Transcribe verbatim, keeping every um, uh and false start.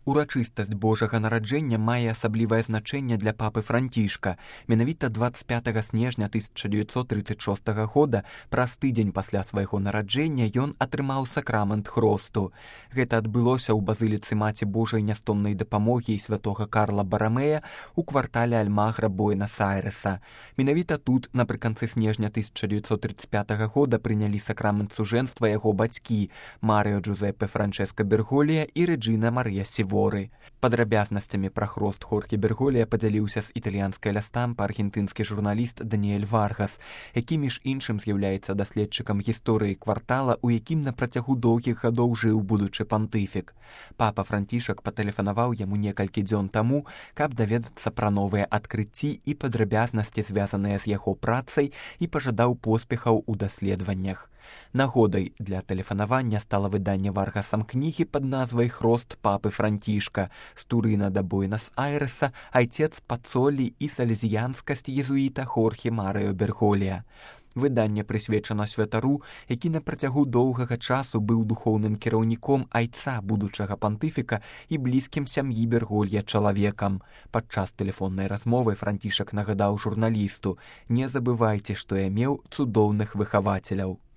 Урачыстасць Божага нараджэння мае асаблівае значэнне для папы Францішка. Менавіта дваццаць пятага снежня тысяча дзевяцьсот трыццаць шостага года, праз тыдзень пасля свайго нараджэння, ён атрымаў сакрамент хросту. Гэта адбылося ў базыліцы Маці Божай нястомнай дапамогі і святога Карла Барамея ў квартале Альмагра Буэнас-Айрэса. Менавіта тут, напрыканцы снежня тысяча дзевяцьсот трыццаць пятага года, прынялі сакрамент сужэнства яго бацькі Марыо Джузеппе Франчэска Берголія і Рэджына Марыя Сіворы. Падрабязнасцямі пра хрост Хорхе Берголія падзяліўся з італьянскай лястампа аргентынскі журналіст Даніэль Варгас, які між іншым з'яўляецца даследчыкам гісторыі квартала, у якім на працягу доўгіх гадоў жыў будучы пантыфік. Папа Францішак патэлефанаваў яму некалькі дзён таму, каб даведацца пра новыя адкрыцці і падрабязнасці, звязаныя з яго працай, і пажадаў поспехаў у даследаваннях. Нагодай для тэлефанавання стала выданне Варгасам кнігі пад назвай «Хрост папы Францішка. З Турына да Буэнас-Айрэса. Айцец Пацолі і сальезіянскасць езуіта Хорхе Марыо Берголія». Выданне прысвечана святару, які на працягу доўгага часу быў духоўным кіраўніком айца будучага пантыфіка і блізкім сям'і Берголья чалавекам. Падчас тэлефоннай размовы Францішак нагадаў журналісту: «Не забывайце, што я меў цудоўных выхавацеляў».